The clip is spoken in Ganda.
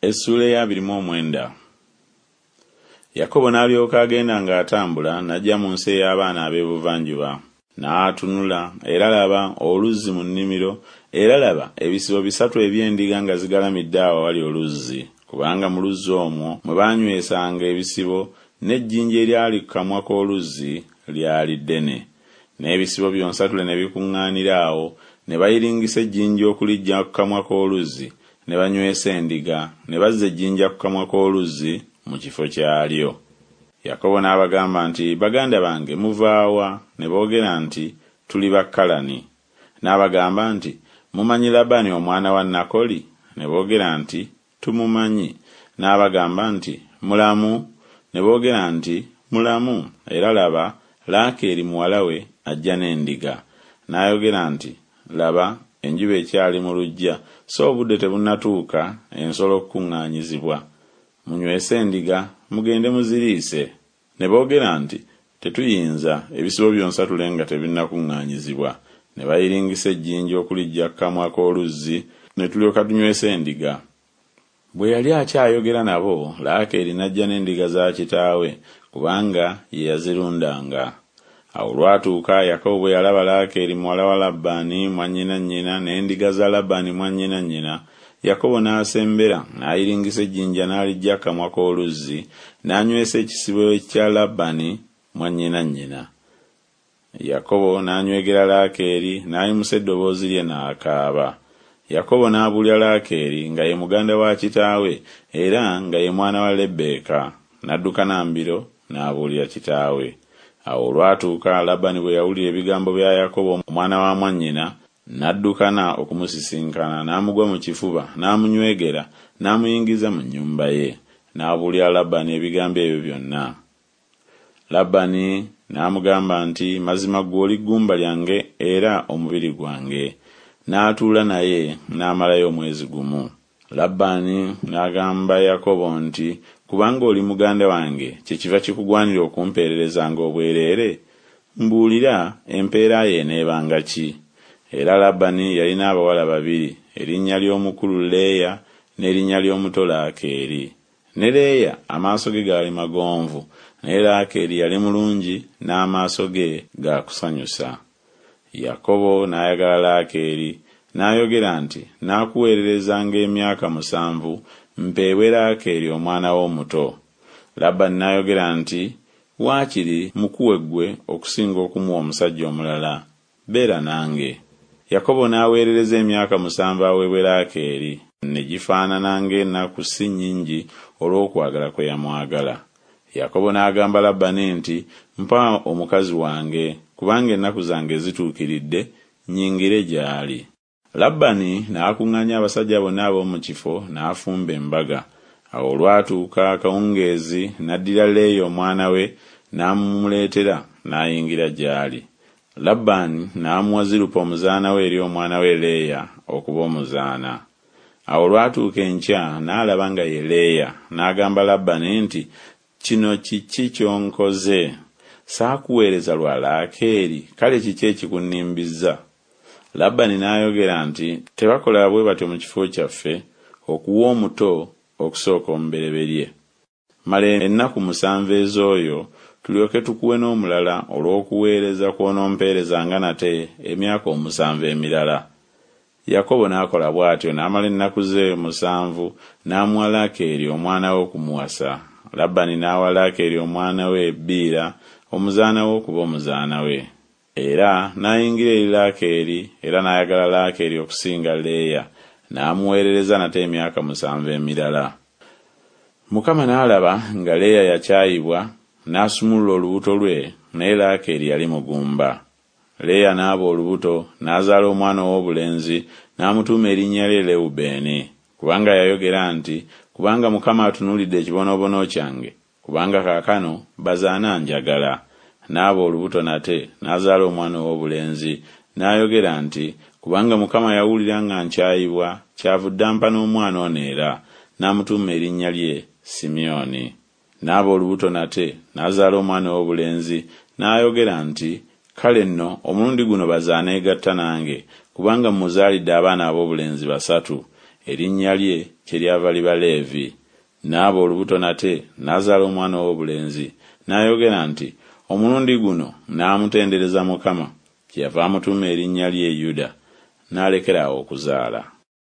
Essuula ey'abiri mu omwenda. Yakobo n'alyoka agenda ng'atambula n'ajja mu nsi ey'abaana ab'ebuvanjuba. N'atunula, era laba, oluzzi mu nnimiro, era laba, ebisibo bisatu eby'endiga nga zigalamidde awo awali oluzzi, kubanga mu luzzi omwo mwe baanywesanga ebisibo, n'ejjinja eryali ku kamwa k'oluzzi lyali ddene. N'ebisibo byonsatule ne bikuŋŋaanira awo, ne bayiringisa ejjinja okuliggya ku kamwa k'oluzzi, ne banywesa endiga, ne bazza ejjinja ku kamwa k'oluzzi mu kifo kyalyo. Yakobo n'abagamba nti Baganda bange, muva wa? Ne boogera nti Tuli ba Kalani. N'abagamba nti Mumanyi Labani omwana wa Nakoli? Ne boogera nti Tumumanyi. N'abagamba nti Mulamu? Ne boogera nti Mulamu, era laba, Laakeeri muwala we ajja n'endiga. N'ayogera nti Laba, enjuba ekyali mu luggya, so obudde tebunnatuuka ensolo okukuŋŋaanyizibwa, munywese endiga, mugende muziriise. Ne boogera nti Tetuyinza, ebisibo byonsatule nga tebinnakuŋŋaanyizibwa. Ne bayiringisa ejjinja okuliggya ku kamwa k'oluzzi, ne tulyoka tunywesa endiga. Bwe yali akyayogera nabo, Laakeeri n'ajja n'endiga za kitaawe, kubanga ye yazirundanga. Awo olwatuuka Yakobo bwe yalaba Laakeeri muwala wa Labbaani mwannyina nnyina n'endiga za Labbaani mwannyina nnyina, Yakobo n'asembera n'ayiringisa ejjinja n'aliggya ku kamwa k'oluzzi, n'anywesa ekisibo ekya Labbaani mwannyina nnyina. Yakobo n'anywegera Laakeeri, n'ayimusa eddoboozi lye n'akaaba. Yakobo n'abuulira Laakeeri nga ye muganda wa kitaawe era nga ye mwana wa Lebbeeka, n'addukana mbiro n'abuulira kitaawe. Awo olwatuuka Labani bwe yawulira ebigambo bya Yakobo omwana wa mwannyina, n'addukana okumusisinkana, n'amugwa mu kifuba, n'amunywegera, n'amuyingiza mu nnyumba ye. N'abuulira Labani ebigambo ebyo byonna. Labani n'amugamba nti Mazima ggwe oli ggumba lyange era omubiri gwange. N'atuula naye n'amalayo omwezi gumu. Labbaani n'agamba Yakobo nti Kubanga oli muganda wange kyekiva kikugwanira okumpeererezanga obwereere? Mbuulira, empeera yo eneebanga ki? Era Labani yalina abawala babiri, erinnya ly'omukulu Leeya, n'erinnya ly'omuto Laakeeri. Ne Leeya amaaso ge gaali magonvu, naye Laakeeri yali mulungi n'amaaso ge ga kusanyusa. Yakobo n'ayagala Laakeeri, n'ayogera nti Naakuweererezanga emyaka musanvu mpeebwe Laakeeri omwana wo omuto. Labani n'ayogera nti Waakiri mmukuwe ggwe okusinga okumuwa omusajja omulala, beera nange. Yakobo n'aweerereza emyaka musanvu aweebwe Laakeeri, ne gifaanana ng'enaku si nnyingi olw'okwagala kwe yamwagala. Yakobo n'agamba Labani nti Mpa omukazi wange, kubanga ennaku zange zituukiridde, nnyingire gy'ali. Labani n'akuŋŋaanya abasajja bonna ab'omu kifo, n'afumba embaga. Awo olwatuuka akawungeezi n'addira Leeya omwana we n'amumuleetera, n'ayingira gy'ali. Labbaani n'amuwa Zirupa omuzaana we eri omwana we Leeya okuba omuzaana. Awo olwatuuka enkya n'alaba nga ye Leeya, n'agamba Labbaani nti Kino kiki ky'onkoze? Saakuweereza lwa Laakeeri? Kale kiki ekikunnimbiza? Labbaani n'ayogera nti Tebakola bwe batyo mu kifo kyaffe, okuwa omuto okusooka omubereberye. Mala ennaku musanvu ez'oyo, tulyoke tukuwe n'omulala olw'okuweereza kw'onompeerezanga nate emyaka omusanvu emirala. Yakobo n'akola bw'atyo n'amala ennaku ze musanvu, n'amuwa Laakeeri omwana we okumuwasa. Labbaani n'awa Laakeeri omwana we Biira omuzaana we okuba omuzaana we. Era n'ayingira eri Laakeeri, era n'ayagala Laakeeri okusinga Leeya, n'amuweerereza nate emyaka musanvu emirala. Mukama n'alaba nga Leeya yakyayibwa, n'asumulula olubuto lwe, naye Laakeeri yali mugumba. Leeya n'aba olubuto, n'azaala omwana ow'obulenzi, n'amutuuma erinnya lye Lewubeeni, kubanga yayogera nti Kubanga Mukama atunuulidde ekibonoobono kyange, kubanga kaakano baze ananjagala. N'aba olubuto nate, n'azaala omwana ow'obulenzi, n'ayogera nti Kubanga Mukama yawulira nga nkyayibwa, kyavudde ampa n'omwana ono era, n'amutuuma erinnya lye Simyoni. N'aba olubuto nate, n'azaala omwana ow'obulenzi, n'ayogera nti Kale nno omulundi guno baze aneegatta nange, kubanga mmuzaalidde abaana ab'obulenzi basatu. Erinnya lye kyeryava liba Leevi. N'aba olubuto nate, n'azaala omwana ow'obulenzi, n'ayogera nti Omulundi guno naamutendereza Mukama, kyeyava amutuuma erinnya lye Yuda. N'alekera awo okuzaala.